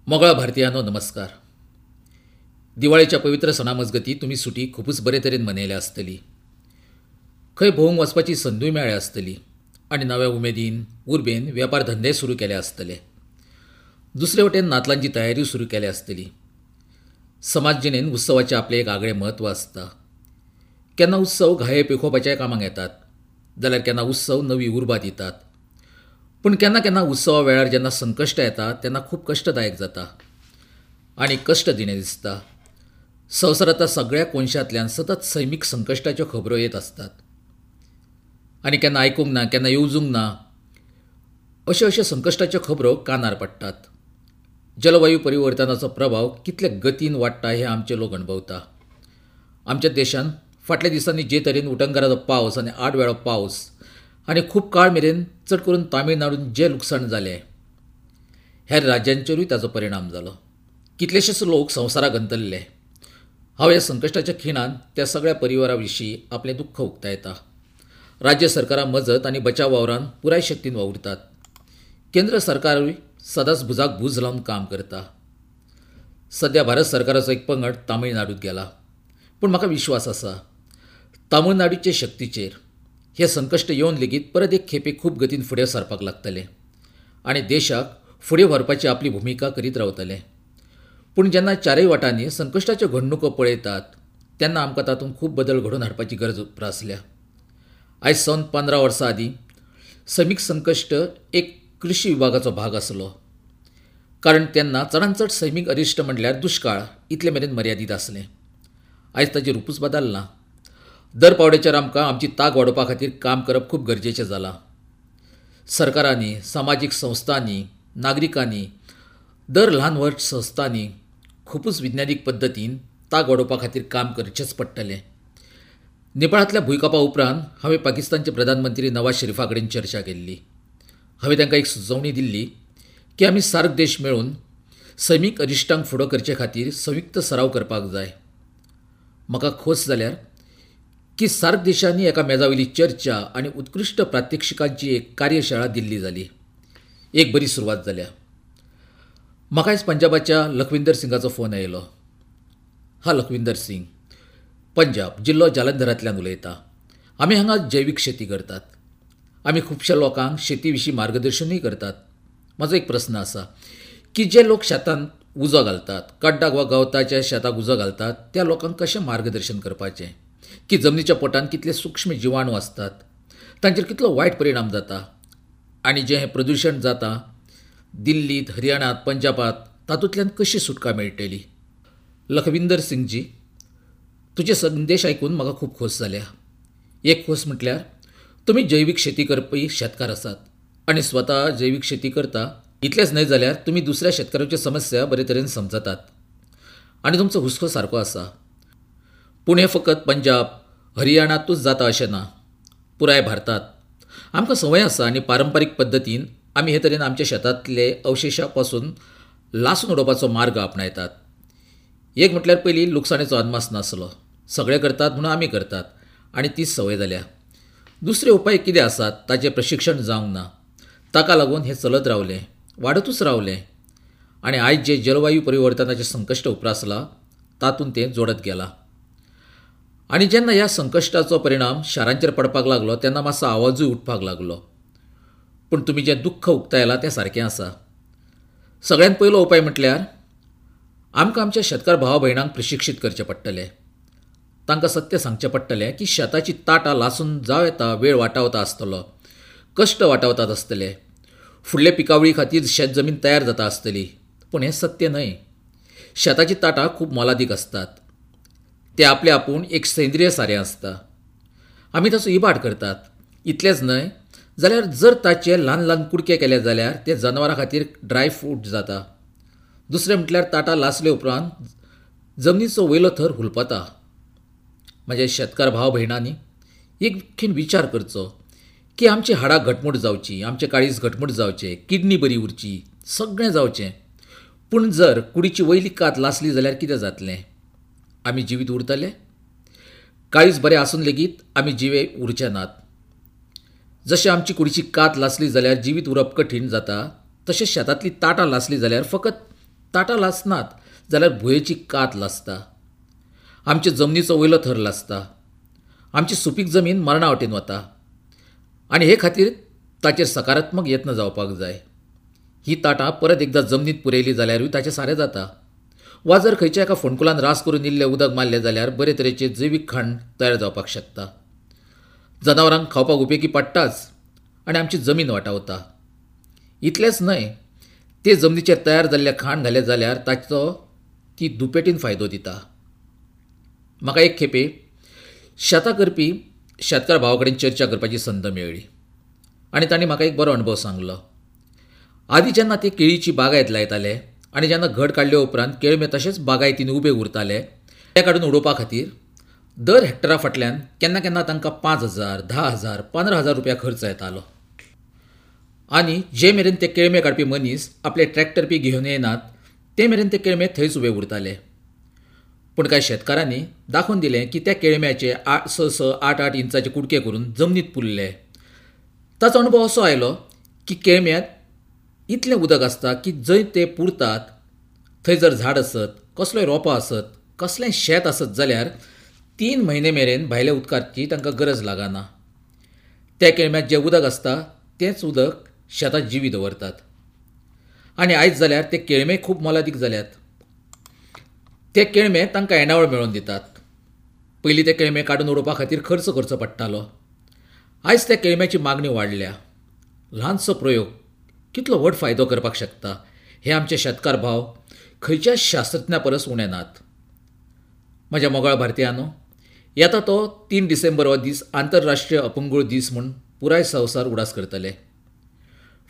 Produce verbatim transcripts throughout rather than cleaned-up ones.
मोगळा भारतीयांनो नमस्कार. दिवाळेच्या पवित्र सणा मजगती तुमी सुटी खुबूच बरे तरेन मनयल्या आसतली. खंय भोंवंक वचपाची संदूय मेळ्ळ्या आसतली आनी नव्या उमेदीन उर्बेन वेपार धंदे सुरू केले आसतले. दुसरे वटेन नातलांची तयारी सुरू केल्या आसतली. समाज जिणेन उत्सवाचें आपलें एक आगळें म्हत्व आसता. केन्ना उत्सव घाये पेखोवपाच्याय कामाक येतात जाल्यार केन्ना उत्सव नवी उर्बा दितात. पूण केन्ना केन्ना उत्सवा वेळार जेन्ना संकश्ट येता तेन्ना खूब कश्टदायक जाता आनी कश्ट दिणें दिसता. संवसारांतल्या सगळ्या कोनशांतल्यान सतत सैमीक संकश्टाच्यो खबरो येत आसतात आनी केन्ना आयकूंक ना केन्ना येवजूंक ना अश्यो अश्यो संकश्टाच्यो खबरो कानार पडटात. जलवायू परिवर्तनाचो प्रभाव कितले गतीन वाडटा हें आमचे लोक अणभवता. आमच्या देशांत फाटल्या दिसांनी जे तरेन उटंगाराचो पावस आनी आडवेळो पावस आनी खूब काळ मेरेन चड करून तामिळनाडून जें लुकसाण जालें हेर राज्यांचेरूय ताचो परिणाम जालो. कितलेशेच लोक संवसाराक अंतरले. हांव ह्या संकश्टाच्या खिणांत त्या सगळ्या परिवारा विशीं आपलें दुख्ख उक्तायता. राज्य सरकारां मजत आनी बचाव वावरान पुराय शक्तीन वावुरतात. केंद्र सरकारूय सदांच भुजाक भूज लावन काम करता. सद्या भारत सरकाराचो एक पंगड तामिळनाडूंत गेला. पूण म्हाका विश्वास आसा तामिळनाडूचे शक्तीचेर हें संकश्ट येवन लेगीत परत एक खेपे खूब गतीन फुडें सरपाक लागतलें आनी देशाक फुडें व्हरपाची आपली भुमिका करीत रावतलें. पूण जेन्ना चारय वाटांनी संकश्टाच्यो घडणुको पळयतात तेन्ना आमकां तातूंत खूब बदल घडोवन हाडपाची गरज उप्रासल्या. आयज सावन पंदरा वर्सां आदीं सैमीक संकश्ट एक कृशी विभागाचो भाग आसलो, कारण तेन्ना चडांत चड सैमीक अरिश्ट म्हणल्यार दुश्काळ इतले मेरेन मर्यादीत आसलें. आयज ताचें रुपूच बदल्लां. दर पावड्याचेर आमकां आमची तांक वाडोवपा खातीर काम करप खूब गरजेचें जालां. सरकारांनी, समाजीक संस्थांनी, नागरिकांनी, दर ल्हान व्हड संस्थांनी खुबूच विज्ञानीक पद्दतीन तांक वाडोवपा खातीर काम करचेंच पडटलें. नेपाळांतल्या भुंयकांपा उपरांत हांवें पाकिस्तानचे प्रधानमंत्री नवाज शरीफा कडेन चर्चा केल्ली. हांवें तांकां एक सुचोवणी दिल्ली की आमी सार्क देश मेळून सैमीक अरिश्टांक फुडो करचे खातीर संयुक्त सराव करपाक जाय. म्हाका खोस जाल्यार की सार्क देशांनी एका मेजावयली चर्चा आनी उत्कृश्ट प्रात्यक्षिकांची एक कार्यशाळा दिल्ली जाली. एक बरी सुरवात जाल्या. म्हाका आयज पंजाबाच्या लखविंदर सिंगाचो फोन आयलो. हा लखविंदर सिंग, पंजाब, जिल्लो जालंधरांतल्यान उलयता. आमी हांगा जैवीक शेती करतात. आमी खुबश्या लोकांक शेती विशीं मार्गदर्शनूय करतात. म्हाजो एक प्रस्न आसा की जे लोक शेतांत उजो घालतात, कड्डाक वा गवताच्या शेताक उजो घालतात, त्या लोकांक कशें मार्गदर्शन करपाचें की जमनीच्या पोटांत कितले सूक्ष्म जिवाणू आसतात, तांचेर कितलो वायट परिणाम जाता आनी जें हें प्रदुशण जाता दिल्लींत, हरियाणांत, पंजाबांत, तातूंतल्यान कशी सुटका मेळटली? लखविंदर सिंगजी, तुजे संदेश आयकून म्हाका खूब खोस जाल्या. एक खोस म्हटल्यार तुमी जैवीक शेती करपी शेतकार आसात आनी स्वता जैवीक शेती करता. इतलेंच न्हय जाल्यार तुमी दुसऱ्या शेतकारांच्यो समस्या बरे तरेन समजतात आनी तुमचो हुस्को सारको आसा. पूण हें फकत पंजाब, हरियाणांतूच जाता अशें ना, पुराय भारतांत आमकां संवय आसा आनी पारंपारीक पद्दतीन आमी हे तरेन आमच्या शेतांतले अवशेशा पासून लासून उडोवपाचो मार्ग आपणायतात. एक म्हटल्यार पयलीं लुकसाणेचो अदमास नासलो, सगळे करतात म्हणून आमी करतात आनी तीच संवय जाल्या. दुसरे उपाय कितें आसात ताचें प्रशिक्षण जावंक ना, ताका लागून हें चलत रावलें, वाडतूच रावलें आनी आयज जें जलवायू परिवर्तनाचें संकश्ट उप्रासलां तातूंत तें जोडत गेलां. आनी जेन्ना ह्या संकश्टाचो परिणाम शारांचेर पडपाक लागलो तेन्ना मातसो आवाजूय उठपाक लागलो. पूण तुमी जें दुख्ख उक्तायलां तें सारकें आसा. सगळ्यांत पयलो उपाय म्हटल्यार आमकां आमच्या शेतकार भावा भयणांक प्रशिक्षीत करचें पडटलें. तांकां सत्य सांगचें पडटलें की शेताची ताटां लासून जावं येता वेळ वाटावता आसतलो, कश्ट वाटावतात आसतले, फुडले पिकावळी खातीर शेत जमीन तयार जाता आसतली. पूण हें सत्य न्हय. शेताची ताटां खूब मोलादीक आसतात. ते आपले आपूण एक सेंद्रीय सारें आसता. आमी ताचो इबाड करतात. इतलेंच न्हय जाल्यार जर ताचे ल्हान ल्हान कुडके केले जाल्यार ते जनावरां खातीर ड्राय फ्रूट जाता. दुसरें म्हटल्यार ताटां लासले उपरांत जमनीचो वयलो थर हुलपता. म्हज्या शेतकार भाव भयणांनी एक खीण विचार करचो की आमची हाडां घटमूट जावची, आमचें काळीज घटमूट जावचें, किडनी बरी उरची, सगळें जावचें. पूण जर कुडीची वयली कात लासली जाल्यार कितें जातलें? आमी जिवीत उरतले? काळीज बरें आसून लेगीत आमी जिवे उरचे नात. जशें आमची कुडीची कात लासली जाल्यार जिवीत उरप कठीण जाता, तशें शेतांतली ताटां लासली जाल्यार फकत ताटां लासनात जाल्यार भुंयेची कात लासता, आमचे जमनीचो वयलो थर लासता, आमची सुपीक जमीन मरणा वटेन वता आनी हे खातीर ताचेर सकारात्मक यत्न जावपाक जाय. ही ताटां परत एकदां जमनीत पुरयली जाल्यारूय ताचें सारें जाता, वा जर खंयच्या एका फोंडकुलान रास करून इल्लें उदक मारलें जाल्यार बरे तरेचें जैवीक खाण तयार जावपाक शकता. जनावरांक खावपाक उपेगी पडटाच आनी आमची जमीन वाटावता. इतलेंच न्हय, ते जमनीचेर तयार जाल्लें खाण घालें जाल्यार ताचो ती दुपेटीन फायदो दिता. म्हाका एक खेपे शेतां करपी शेतकार भावा कडेन चर्चा करपाची संद मेळ्ळी आनी तांणी म्हाका एक बरो अणभव सांगलो. आदी जेन्ना ते केळीची बागायत लायताले आनी जेन्ना घड काडले उपरांत केळमे तशेंच बागायतीन उबे उरताले, ते काडून उडोवपा खातीर दर हेक्टरा फाटल्यान केन्ना केन्ना तांकां पांच हजार, धा हजार, पंदरा हजार रुपया खर्च येतालो. आनी जे मेरेन ते केळमे काडपी मनीस आपले ट्रॅक्टर बी घेवन येनात ते मेरेन ते केळमे थंयच उबे उरताले. पूण कांय शेतकारांनी दाखोवन दिलें की त्या केळम्याचे आठ स स आठ आठ इंचाचे कुडके करून जमनीत पुरले. ताचो अणभव असो आयलो की केळम्यांत इतलें उदक आसता की जंय ते पुरतात थंय जर झाड आसत, कसलोय रोपो आसत, कसलेंय शेत आसत जाल्यार तीन म्हयने मेरेन भायल्या उदकाची तांकां गरज लागना. त्या केळम्यांत जें उदक आसता तेंच उदक शेतां जिवी दवरतात. आनी आयज जाल्यार ते केळमे खूब मोलादीक जाल्यात. ते केळमे तांकां येणावळ मेळोवन दितात. पयलीं ते केळमे काडून उडोवपा खातीर खर्च करचो पडटालो. आयज त्या केळम्याची मागणी वाडल्या. ल्हानसो प्रयोग कितलो व्हड फायदो करपाक शकता हे आमचे शेतकार भाव खंयच्या शास्त्रज्ञा परस उणे नात. म्हज्या मोगाळ भारतीयांनो, येता तो तीन डिसेंबर हो दीस आंतरराष्ट्रीय अपंगूळ दीस म्हूण पुराय संवसार उडास करतले.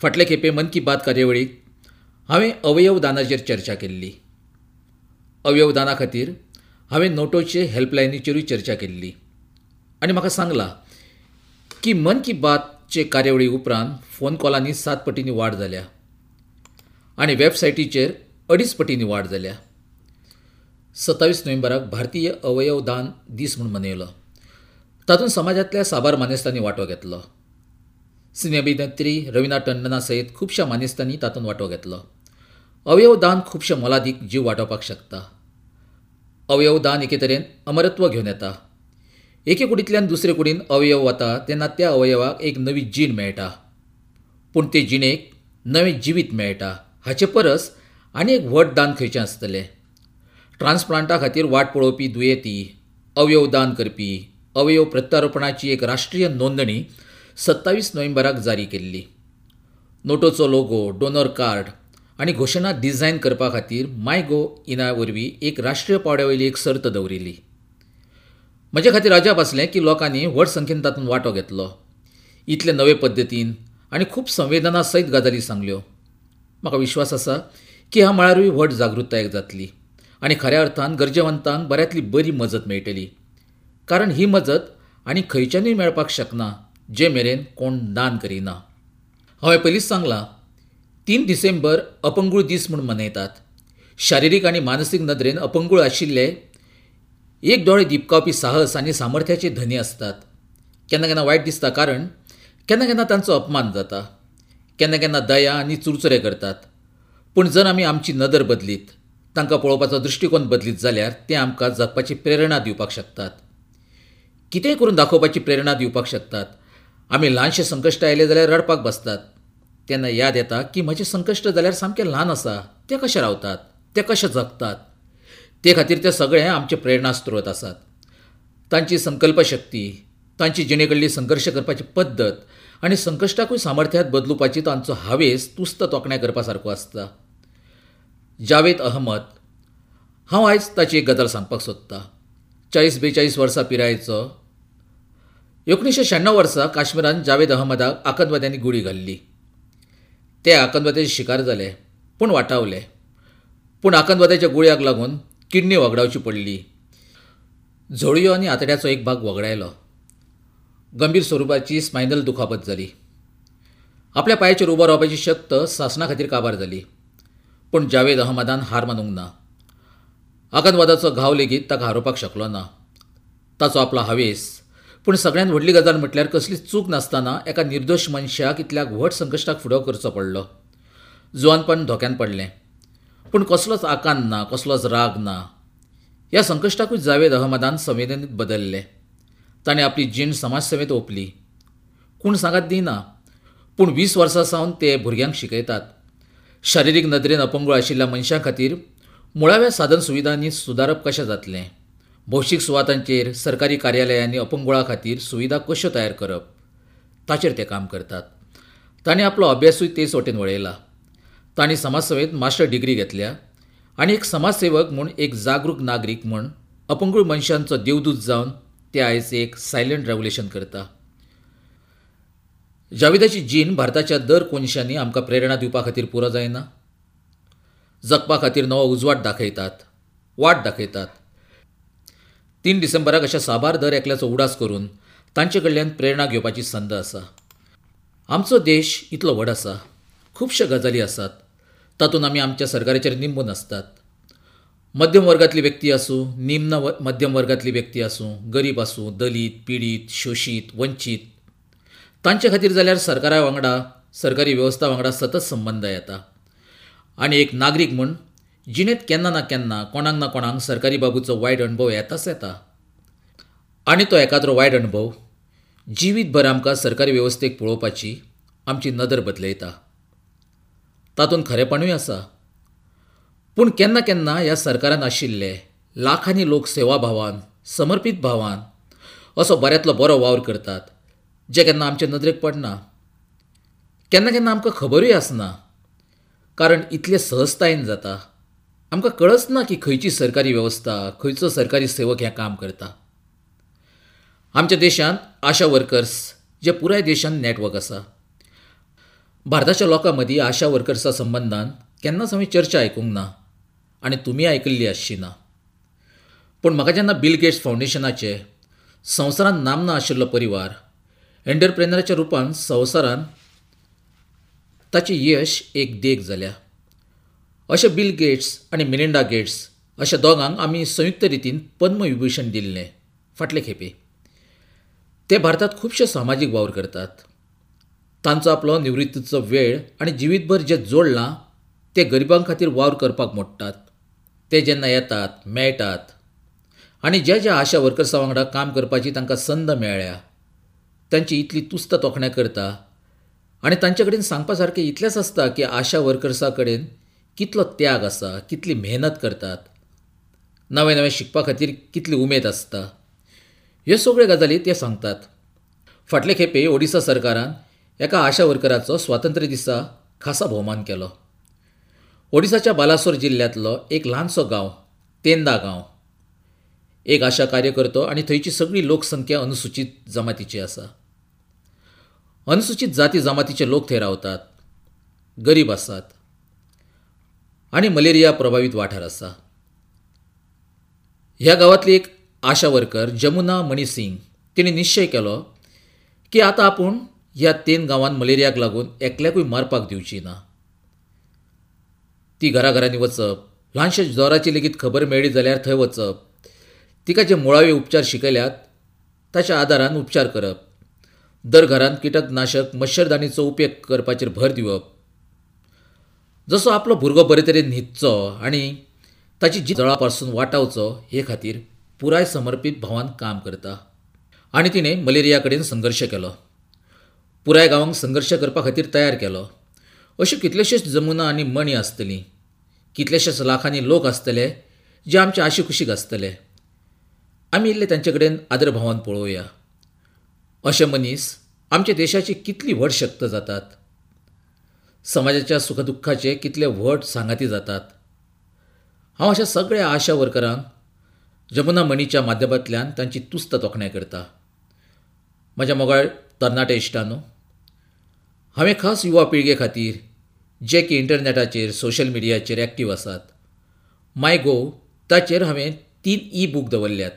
फाटले खेपे मन की बात कार्यावळीक हांवें अवयव दानाचेर चर्चा केल्ली. अवयव दाना खातीर हांवें नोटोचे हेल्पलायनीचेरूय चर्चा केल्ली आनी म्हाका सांगलां की मन की बातचे कार्यावळी उपरांत फोन कॉलांनी सात पटींनी वाड जाल्या आनी वेबसायटीचेर अडीच पटींनी वाड जाल्या. सत्तावीस नोव्हेंबराक भारतीय अवयव दान दीस म्हूण मनयलो. तातूंत समाजांतल्या साबार मानेस्तांनी वांटो घेतलो. सिने अभिनेत्री रवीना टंडना सयत खुबश्या मानेस्तांनी तातूंत वांटो घेतलो. अवयव दान खुबशे मोलादीक जीव वाटोवपाक शकता. अवयव दान एके तरेन अमरत्व घेवन येता. एके कुडींतल्यान दुसरे कुडीन अवयव वता तेन्ना त्या अवयवाक एक नवी जीण मेळटा, पूण ते जिणेक नवें जिवीत मेळटा. हाचे परस आनी एक व्हड दान खंयचें आसतलें? ट्रान्सप्लांटा खातीर वाट पळोवपी दुयेंती, अवयव दान करपी, अवयव प्रत्यारोपणाची एक राष्ट्रीय नोंदणी सत्तावीस नोव्हेंबराक जारी केल्ली. नोटोचो लोगो, डोनर कार्ड आनी घोशणा डिझायन करपा खातीर माय गो इना वरवीं एक राष्ट्रीय पांवड्या वयली एक सर्त दवरिल्ली. म्हजे खातीर अजाप आसलें की लोकांनी व्हड संख्येन तातूंत वांटो घेतलो. इतले नवे पद्दतीन आनी खूब संवेदना सयत गजाली सांगल्यो. म्हाका विश्वास आसा की ह्या मळारूय व्हड जागृताय जातली आनी खऱ्या अर्थान गरजेवंतांक बऱ्यांतली बरी मजत मेळटली, कारण ही मजत आनी खंयच्यानूय मेळपाक शकना जे मेरेन कोण दान करिना. हांवें पयलींच सांगलां, तीन डिसेंबर अपंगूळ दीस म्हूण मनयतात. शारिरीक आनी मानसीक नदरेन अपंगूळ आशिल्ले एक दोळे दिपकावपी साहस आनी सामर्थ्याचे धनी आसतात. केन्ना केन्ना वायट दिसता, कारण केन्ना केन्ना तांचो अपमान जाता, केन्ना केन्ना दया आनी चुरचुरे करतात. पूण जर आमी आमची नदर बदलीत, तांकां पळोवपाचो दृश्टिकोन बदलीत जाल्यार ते आमकां जगपाची प्रेरणा दिवपाक शकतात, कितेंय करून दाखोवपाची प्रेरणा दिवपाक शकतात. आमी ल्हानशें संकश्ट आयलें जाल्यार रडपाक बसतात, तेन्ना याद येता की म्हजें संकश्ट जाल्यार सामकें ल्हान आसा, ते कशे रावतात, ते कशे जगतात. ते खातीर ते सगळे आमचे प्रेरणा स्त्रोत आसात. तांची संकल्पशक्ती, तांची जिणे कडली संघर्श करपाची पद्दत आनी संकश्टाकूय सामर्थ्यांत बदलुपाची तांचो हावेस तुस्त तोखणाय करपा सारको आसता. जावेद अहमद, हांव आयज ताची एक गजाल सांगपाक सोदतां. चाळीस बेचाळीस वर्सां पिरायेचो एकुणीशें श्याण्णव वर्सा काश्मीरांत जावेद अहमदाक आतंकवाद्यांनी गुळी घाल्ली. ते आतंकवाद्याचे शिकार जाले, पूण वाटावले. पूण आतंकवाद्याच्या गुळयाक लागून किडनी वगडावची पडली. झोळयो आनी आतड्याचो एक भाग वगडायलो. गंभीर स्वरुपाची स्पायनल दुखापत जाली. आपल्या पांयाचेर उबो रावपाची शक्त सासणा खातीर काबार जाली. पूण जावेद अहमदान हार मानूंक ना. आतंकवादाचो घाव लेगीत ताका हारोवपाक शकलो ना. ताचो आपलो हावेस, पूण सगळ्यांत व्हडली गजाल म्हटल्यार कसलीच चूक नासतना एका निर्दोश मनशाक इतल्या व्हड संकश्टाक फुडो करचो पडलो. जुवानपण धोक्यान पडलें, पूण कसलोच आकांत ना, कसलोच राग ना. ह्या संकश्टाकूय जावेद अहमदान संवेदनेत बदलले. ताणें आपली जीण समाजसेवेंत ओंपली. कोण सांगात दिना, पूण वीस वर्सां सावन ते भुरग्यांक शिकयतात. शारिरीक नदरेन अपंगूळ आशिल्ल्या मनशां खातीर मुळाव्या साधन सुविधांनी सुदारप कशें जातलें, भौशीक सुवातांचेर सरकारी कार्यालयांनी अपंगुळा खातीर सुविधा कश्यो तयार करप, ताचेर ते काम करतात. तांणी आपलो अभ्यासूय तेच वटेन वळयला. तांणी समाजसेवेंत मास्टर डिग्री घेतल्या आनी एक समाजसेवक म्हूण, एक जागरूक नागरीक म्हूण अपंगूळ मनशांचो देवदूत जावन ते आयज एक सायलंट रेव्होल्युशन करता. जावेदाची जीण भारताच्या दर कोनशांनी आमकां प्रेरणा दिवपा खातीर पुरो जायना. जगपा खातीर नवो उजवाड दाखयतात, वाट दाखयतात. तीन डिसेंबराक अशा साबार दर एकल्याचो उडास करून तांचे कडल्यान प्रेरणा घेवपाची संद आसा. आमचो देश इतलो व्हड आसा, खुबश्यो गजाली आसात, तातूंत आमी आमच्या सरकाराचेर निंबून आसतात. मध्यम वर्गांतली व्यक्ती आसूं, निम्न मध्यम वर्गांतली व्यक्ती आसूं, गरीब आसूं, दलीत, पिडीत, शोशीत, वंचीत, तांचे खातीर जाल्यार सरकारा वांगडा, सरकारी वेवस्था वांगडा सतत संबंद येता. आनी एक नागरीक म्हूण जिणेंत केन्ना ना केन्ना कोणाक ना कोणाक सरकारी बाबूचो वायट अणभव येताच येता. आनी तो एकाद्रो वायट अणभव जिवीतभर आमकां सरकारी वेवस्थेक पळोवपाची आमची नदर बदलयता. तातूंत खरेपणूय आसा, पूण केन्ना केन्ना ह्या सरकारान आशिल्ले लाखांनी लोक सेवाभावान, समर्पीत भावान असो बऱ्यांतलो बरो वावर करतात, जे केन्ना आमचे नदरेक पडना, केन्ना केन्ना आमकां खबरूय आसना, कारण इतले सहजतायेन जाता, आमकां कळच ना की खंयची सरकारी वेवस्था, खंयचो सरकारी सेवक हें काम करता. आमच्या देशांत आशा वर्कर्स जे पुराय देशांत नॅटवर्क आसा. भारताच्या लोकां मदीं आशा वर्कर्सा संबंदान केन्नाच हांवें चर्चा आयकूंक ना आनी तुमी आयकल्ली आसची ना. पूण म्हाका जेन्ना बिल गेट्स फावंडेशनाचे संवसारांत नामना आशिल्लो परिवार एंटरप्रेनराच्या रुपान संवसारांत ताचें यश एक देख जाल्या, अशे बिल गेट्स आनी मिलिंडा गेट्स अशा दोगांक आमी संयुक्त रितीन पद्मविभूषण दिल्लें फाटले खेपे. ते भारतांत खुबशे सामाजीक वावर करतात. तांचो आपलो निवृत्तीचो वेळ आनी जिवीतभर जें जोडलां ते गरिबां खातीर वावर करपाक मोडटात. ते जेन्ना येतात, मेळटात आनी ज्या ज्या आशा वर्कर्सां वांगडा काम करपाची तांकां संद मेळ्ळ्या तांची इतली तुस्त तोखणाय करता आनी तांचे कडेन सांगपा सारकें इतलेंच आसता की आशा वर्कर्सां कडेन कितलो त्याग आसा, कितली मेहनत करतात, नवें नवें शिकपा खातीर कितली उमेद आसता, ह्यो सगळ्यो गजाली ते सांगतात. फाटले खेपे ओडिसा सरकारान एका आशा वर्कराचो स्वातंत्र्य दिसा खासा भोवमान केलो. ओडिसाच्या बालासोर जिल्ल्यांतलो एक ल्हानसो गांव, तेंदा गांव, एक आशा कार्यकर्तो आनी थंयची सगळी लोकसंख्या अनुसूचित जमातीची आसा. अनुसूचित जाती जमातीचे लोक थंय रावतात, गरीब आसात आनी मलेरिया प्रभावीत वाठार आसा. ह्या गांवांतली एक आशा वर्कर जमुना मणी सिंग तिणें निश्चय केलो की आतां आपूण ह्या तेन गांवांत मलेरियाक लागून एकल्याकूय मारपाक दिवची ना. ती घराघरांनी वचप, ल्हानशा जोराची लेगीत खबर मेळ्ळी जाल्यार थंय वचप, तिका जे मुळावे उपचार शिकयल्यात ताच्या आदारान उपचार करप, दर घरांत किटकनाशक मच्छरदाणीचो उपेग करपाचेर भर दिवप, जसो आपलो भुरगो बरे तरेन न्हिदचो आनी ताची जळा पासून वाटावचो हे खातीर पुराय समर्पीत भावान काम करता. आनी तिणें मलेरिया कडेन संघर्श केलो, पुराय गांवांक संघर्श करपा खातीर तयार केलो. अश्यो कितलेशेच जमुना आनी मणी आसतली, कितलेशेच लाखांनी लोक आसतले जे आमचे आशीकुशीक आसतले. आमी इल्ले तांचे कडेन आदरभावान पळोवया. अशे मनीस आमच्या देशाची कितली व्हड शक्त जातात, समाजाच्या सुखदुख्खाचे कितले व्हड सांगाती जातात. हांव अशा सगळ्या आशा वर्करांक जमुना मणीच्या माध्यमांतल्यान तांची तुस्त तोखणाय करता. म्हज्या मोगाळ तरणाटे इश्टांनो, हांवें खास युवा पिळगे खातीर जे की इंटरनॅटाचेर, सोशल मिडियाचेर एक्टीव आसात, माय गोव ताचेर हांवें तीन ई बूक दवरल्यात.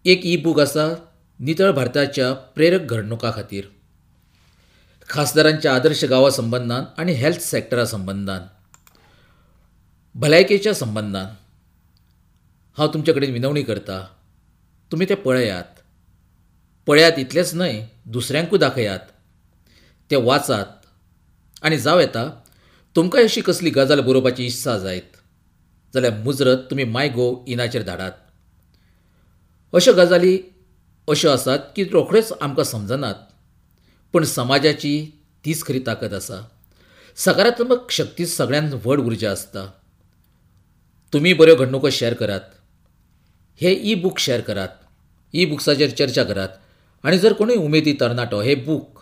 एक ई बूक आसा नितळ भारताच्या प्रेरक घडणुकां खातीर, खासदारांच्या आदर्श गांवा संबंदान आनी हेल्थ सॅक्टरा संबंदान, भलायकेच्या संबंदान. हांव तुमचे कडेन विनवणी करता, तुमी ते पळयात, पळयात इतलेंच न्हय दुसऱ्यांकूय दाखयात, ते वाचात आनी जावं येता तुमकां अशी कसली गजाल बरोवपाची इत्सा जायत जाल्यार मुजरत तुमी माय गोव इनाचेर धाडात. अश्यो गजाली अश्यो आसात की रोखड्योच आमकां समजनात, पूण समाजाची तीच खरी ताकद आसा. सकारात्मक शक्ती सगळ्यांत व्हड उर्जा आसता. तुमी बऱ्यो घडणुको शेअर करात, हे ई बूक शेअर करात, ई बुक्साचेर चर्चा करात आनी जर कोणूय उमेदी तरणाटो हे बूक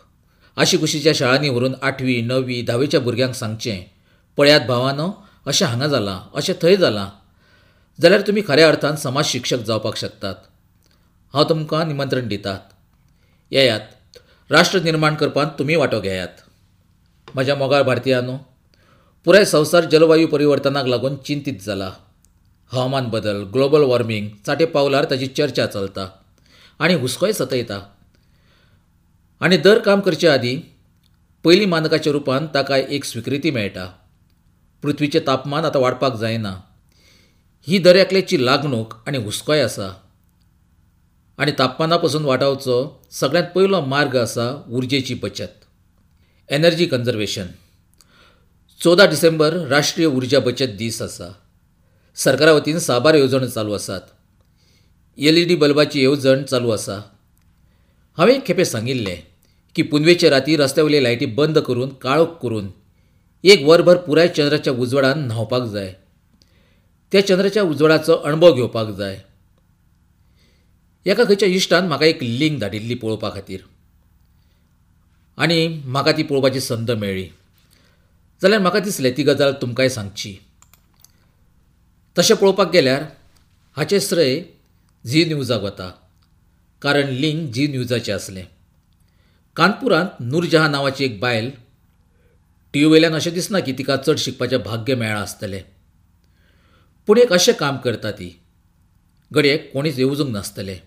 आशीकुशीच्या शाळांनी व्हरून आठवी णवी धावेच्या भुरग्यांक सांगचें, पळयात भावानो अशें हांगा जालां, अशें थंय जालां, जाल्यार तुमी खऱ्या अर्थान समाज शिक्षक जावपाक शकतात. हांव तुमकां निमंत्रण दितात, येयात, राष्ट्र निर्माण करपांत तुमी वांटो घेयात. म्हज्या मोगाळ भारतीयांनो, पुराय संवसार जलवायू परिवर्तनाक लागून चिंतीत जाला. हवामान बदल, ग्लोबल वॉर्मिंग चाटे पावलार ताची चर्चा चलता आनी हुस्कोय सतयता. आनी दर काम करचे आदीं पयलीं मानकाच्या रुपान ताका एक स्विकृती मेळटा. पृथ्वीचें तापमान आतां वाडपाक जायना ही दर एकल्याची लागणूक आनी हुस्कोय आसा. आनी तापमाना पसून वाटावचो सगळ्यांत पयलो मार्ग आसा उर्जेची बचत, एनर्जी कन्जर्वेशन. चवदा डिसेंबर राष्ट्रीय उर्जा बचत दीस आसा. सरकारा वतीन साबार येवजण्यो चालू आसात. एल ई डी बल्बाची येवजण चालू आसा. हांवें एक खेपे सांगिल्लें की पुनवेचे राती रस्त्या वयले लायटी बंद करून काळोख करून एक वरभर पुराय चंद्राच्या उजवाडान न्हांवपाक जाय. त्या चंद्राच्या उजवाडाचो अणभव घेवपाक जाय. एका खंयच्या इश्टान म्हाका एक लिंक धाडिल्ली पळोवपा खातीर आनी म्हाका ती पळोवपाची संद मेळ्ळी. जाल्यार म्हाका दिसलें ती गजाल तुमकांय सांगची. तशें पळोवपाक गेल्यार हाचें श्रेय झी न्यूजाक वता, कारण लिंक झी न्यूजाचें आसलें. कानपुरांत नूरजहां नांवाची एक बायल, टी व्ही वयल्यान अशें दिसना की तिका चड शिकपाचें भाग्य मेळ्ळां आसतलें, पूण एक अशें काम करता ती घडये कोणीच येवजूंक नासतलें.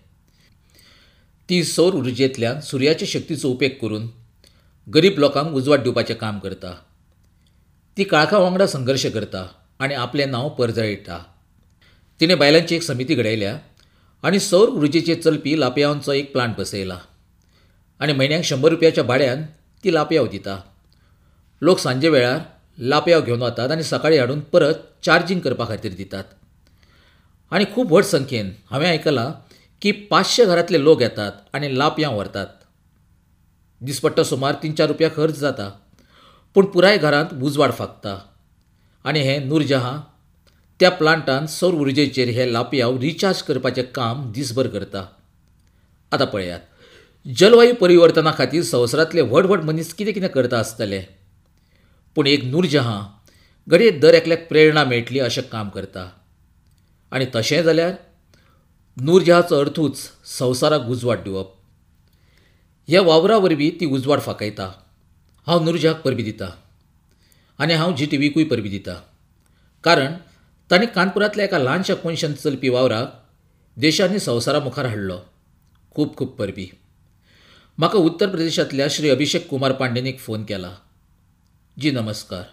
ती सौर उर्जेंतल्यान सुर्याचे शक्तीचो उपेग करून गरीब लोकांक उजवाड दिवपाचें काम करता. ती काळखा वांगडा संघर्श करता आनी आपलें नांव परजळयता. तिणें बायलांची एक समिती घडयल्या आनी सौर उर्जेचेर चलपी लापयांवांचो एक प्लांट बसयला आनी म्हयन्याक शंबर रुपयाच्या भाड्यान ती लापयांव दिता. लोक सांजे वेळार लापयांव घेवन वतात आनी सकाळीं हाडून परत चार्जींग करपा खातीर दितात. आनी खूब व्हड संख्येन हांवें आयकलां की पांचशे घरांतले लोक येतात आनी लापयांव व्हरतात. दिसपट्टो सुमार तीन चार रुपया खर्च जाता, पूण पुराय घरांत उजवाड फांकता. आनी हें नूरजहां त्या प्लांटान सौर उर्जेचेर हे लापयांव रिचार्ज करपाचें काम दिसभर करता. आतां पळयात, जलवायू परिवर्तना खातीर संवसारांतले व्हड व्हड मनीस कितें कितें करता आसतले, पूण एक नूरजहां घडये दर एकल्याक प्रेरणा मेळटली अशें काम करता. आनी तशें जाल्यार नूरजहांचो अर्थूच संवसाराक उजवाड दिवप. ह्या वावरा वरवीं ती उजवाड फांकयता. हांव नूरजहांक परबीं दिता आनी हांव जी टी व्हीकूय परबीं दिता, कारण तांणी कानपुरांतल्या एका ल्हानशा कोनशान चलपी वावराक देशांनी संवसारा मुखार हाडलो. खूब खूब परबीं. म्हाका उत्तर प्रदेशांतल्या श्री अभिषेक कुमार पांडेन एक फोन केला. जी नमस्कार,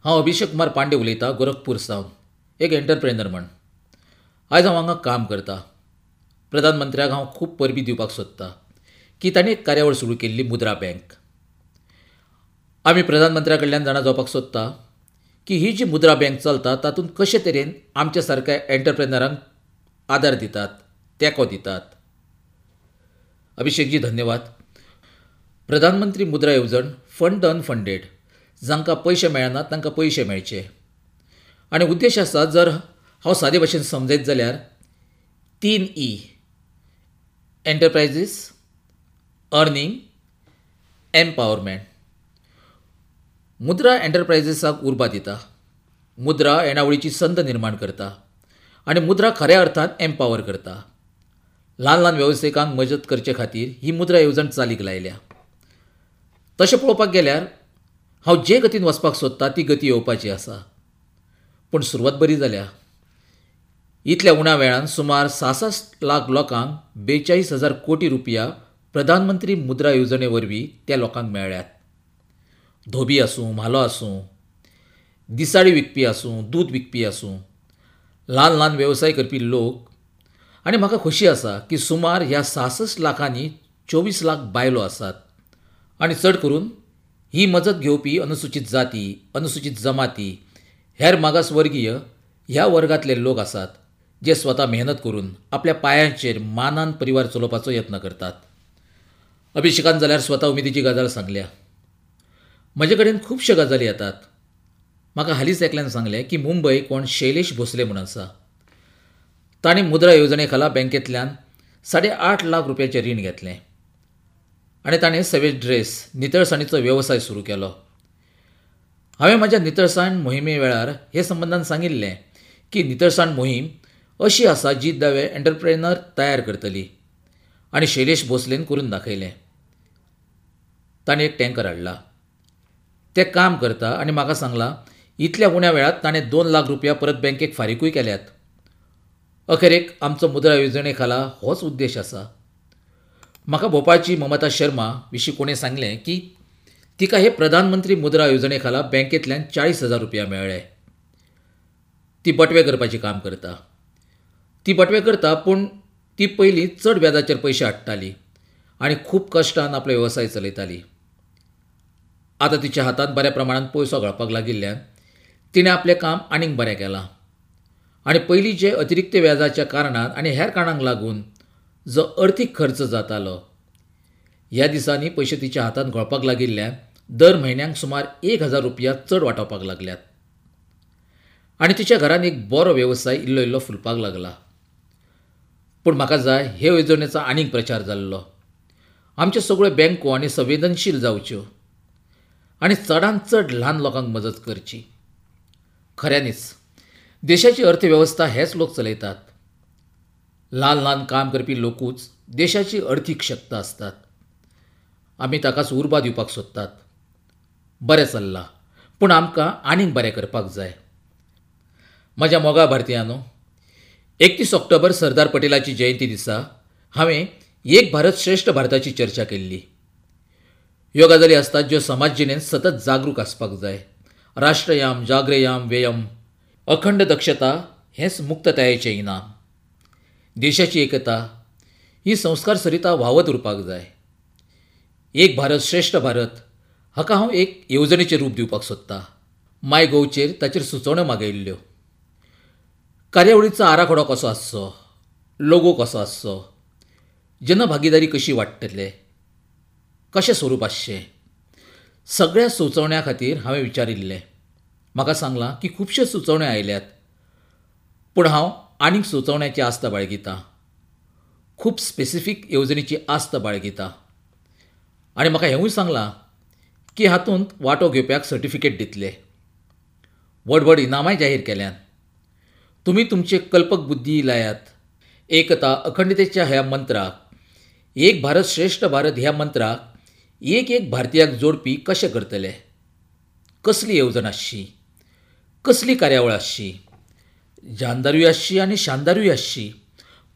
हांव अभिषेक कुमार पांडे उलयतां, गोरखपूर सावन, एक एंटरप्रेनर म्हण. आयज हांव हांगा काम करता. प्रधानमंत्र्याक हांव खूब परबीं दिवपाक सोदतां की तांणी एक कार्यावळ सुरू केल्ली, मुद्रा बँक. आमी प्रधानमंत्र्या कडल्यान जाणा जावपाक सोदता की ही जी मुद्रा बँक चलता तातूंत कशे तरेन आमच्या सारक्या एंटरप्रेनरांक आदार दितात, तेंको दितात. अभिषेकजी धन्यवाद. प्रधानमंत्री मुद्रा येवजण फंड अनफंडेड, जांकां पयशे मेळनात तांकां पयशे मेळचे. आनी उद्देश आसा, जर हांव सादे भाशेन समजयत जाल्यार तीन ई, एंटरप्रायजीस, अर्निंग, एम्पावरमेंट. मुद्रा एंटरप्रायजीसाक उर्बा दिता, मुद्रा येणावळीची संद निर्माण करता आनी मुद्रा खऱ्या अर्थान एम्पावर करता. ल्हान ल्हान वेवसायिकांक मजत करचे खातीर ही मुद्रा येवजण चालीक लायल्या. तशें पळोवपाक गेल्यार हांव जे गतीन वचपाक सोदता ती गती येवपाची आसा, पूण सुरवात बरी जाल्या. इतल्या उण्या वेळान सुमार सासष्ट लाख लोकांक बेचाळीस हजार कोटी रुपया प्रधानमंत्री मुद्रा येवजणे वरवीं त्या लोकांक मेळ्ळ्यात. धोबी आसूं, म्हालो आसूं, दिसाळी विकपी आसूं, दूद विकपी आसूं, ल्हान ल्हान वेवसाय करपी लोक. आनी म्हाका खोशी आसा की सुमार ह्या सासष्ट लाखांनी चोवीस लाख बायलो आसात आनी चड करून ही मजत घेवपी अनुसूचित जाती, अनुसूचित जमाती, हेर मागासवर्गीय ह्या वर्गांतले लोक आसात जे स्वता मेहनत करून आपल्या पांयांचेर मानान परिवार चलोवपाचो यत्न करतात. अभिषेकान जाल्यार स्वता उमेदीची गजाल सांगल्या. म्हजे कडेन खुबश्यो गजाली येतात. म्हाका हालींच एकल्यान सांगलें की मुंबय कोण शैलेश भोसले म्हूण आसा, ताणें मुद्रा येवजणे खाला बँकेंतल्यान साडे आठ लाख रुपयाचें रीण घेतलें आनी ताणें सवेज ड्रेस नितळसाणीचो वेवसाय सुरू केलो. हांवें म्हज्या नितळसाण मोहिमे वेळार हे संबंदान सांगिल्लें की नितळसाण मोहीम अशी आसा जी नवे एंटरप्रेनर तयार करतली आनी शैलेश भोसलेन करून दाखयलें. ताणें एक टँकर हाडला, तें काम करता आनी म्हाका सांगलां इतल्या उण्या वेळांत ताणें दोन लाख रुपया परत बँकेक फारीकूय केल्यात. अखेरेक आमचो मुद्रा येवजणे खाला होच उद्देश आसा. म्हाका भोपाळची ममता शर्मा विशीं कोणें सांगलें की तिका हे प्रधानमंत्री मुद्रा येवजणे खाला बँकेंतल्यान चाळीस हजार रुपया मेळ्ळे. ती बटवे करपाचें काम करता. ती बटवे करता पूण ती पयलीं चड व्याजाचेर पयशे हाडटाली आनी खूब कश्टान आपलो वेवसाय चलयताली. आतां तिच्या हातांत बऱ्या प्रमाणांत पयसो घालपाक लागिल्ल्यान तिणें आपलें काम आनीक बरें केलां आनी पयलीं जे अतिरिक्त व्याजाच्या कारणान आनी हेर कारणांक लागून जो अर्थीक खर्च जातालो ह्या दिसांनी पयशे तिच्या हातांत घोळपाक लागिल्ल्यान दर म्हयन्याक सुमार एक हजार रुपया चड वाटावपाक लागल्यात आनी तिच्या घरांत एक बरो वेवसाय इल्लो इल्लो फुलपाक लागला. पूण म्हाका जाय हे येवजणेचो आनीक प्रचार जाल्लो. आमच्यो सगळ्यो बँको आनी संवेदनशील जावच्यो आनी चडांत चड ल्हान लोकांक मजत करची. खऱ्यांनीच देशाची अर्थवेवस्था हेच लोक चलयतात. ल्हान ल्हान काम करपी लोकूच देशाची अर्थीक शक्त आसतात. आमी ताकाच उर्बा दिवपाक सोदतात. बरें चल्लां पूण आमकां आनीक बरें करपाक जाय. म्हज्या मोगा भारतीयांनो, एकतीस ऑक्टोबर सरदार पटेलाची जयंती दिसा हांवें एक भारत श्रेश्ठ भारताची चर्चा केल्ली. ह्यो गजाली आसतात ज्यो समाज जिणेंत सतत जागरूक आसपाक जाय. राष्ट्रयाम जाग्रेयाम व्ययम, अखंड दक्षता हेंच मुक्ततायेचें इनाम. देशाची एकता ही संस्कार सरिता व्हांवत उरपाक जाय. एक भारत श्रेश्ठ भारत हाका हांव एक येवजणेचें रूप दिवपाक सोदतां. माय गोवचेर ताचेर सुचोवण्यो मागयिल्ल्यो. कार्यावळीचो आराखडो कसो आसचो, लोगो कसो आसचो, जनभागीदारी कशी वाडटले, कशें स्वरूप आसचें, सगळ्या सुचोवण्यां खातीर हांवें विचारिल्लें. म्हाका सांगलां की खुबश्यो सुचोवण्यो आयल्यात पूण हांव आनीक सुचोवण्याची आस्त बाळगितां. खूब स्पेसिफीक येवजणेची आस्त बाळगितां आनी म्हाका हेंवूय सांगलां की हातूंत वांटो घेवप्याक सर्टिफिकेट दितले. व्हड व्हड इनामांय जाहीर केल्यांत. तुमी तुमचे कल्पक बुद्धी लायात. एकता अखंडतेच्या ह्या मंत्राक, एक भारत श्रेश्ठ भारत ह्या मंत्राक एक एक भारतीयाक जोडपी कशें करतले? कसली येवजण आसची, कसली कार्यावळ आसची, जानदारूय आसची आनी शानदारूय आसची,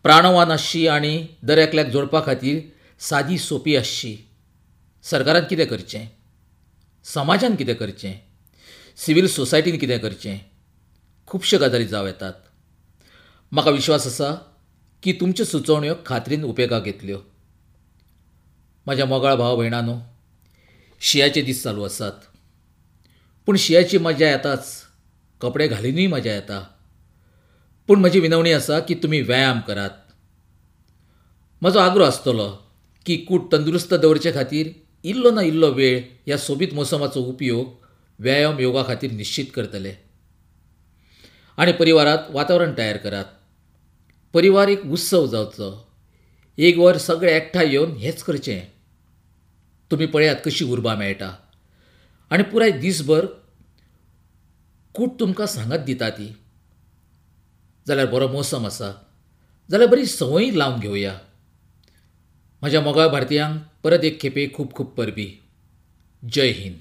प्राणवान आसची आनी दर एकल्याक जोडपा खातीर सादी सोंपी आसची. सरकारान कितें करचें, समाजान कितें करचें, सिव्हील सोसायटीन कितें करचें, खुबश्यो गजाली जावं येतात. म्हाका विश्वास आसा की तुमच्यो सुचोवण्यो खात्रीन उपेगाक येतल्यो. म्हज्या मोगाळ भाव भयणांनो, शिंयाचे दीस चालू आसात पूण शिंयाची मजा येताच, कपडे घालिनूय मजा येता. पूण म्हजी विनवणी आसा की तुमी व्यायाम करात. म्हजो आग्रो आसतलो की कूड तंदुरुस्त दवरचे खातीर इल्लो ना इल्लो वेळ ह्या सोबीत मोसमाचो उपयोग व्यायाम योगा खातीर निश्चीत करतले. आनी परिवारांत वातावरण तयार करात. परिवार एक उत्सव जावचो. एक वर सगळे एकठांय येवन हेंच करचें. तुमी पळयात कशी उर्बा मेळटा आनी पुराय दीसभर कूड तुमकां सांगात दिता ती. जाल्यार बरो मोसम आसा जाल्यार बरी संवय लावन घेवया. म्हज्या मोगाळ भारतीयांक परत एक खेपे खूब खूब परबीं. जय हिंद.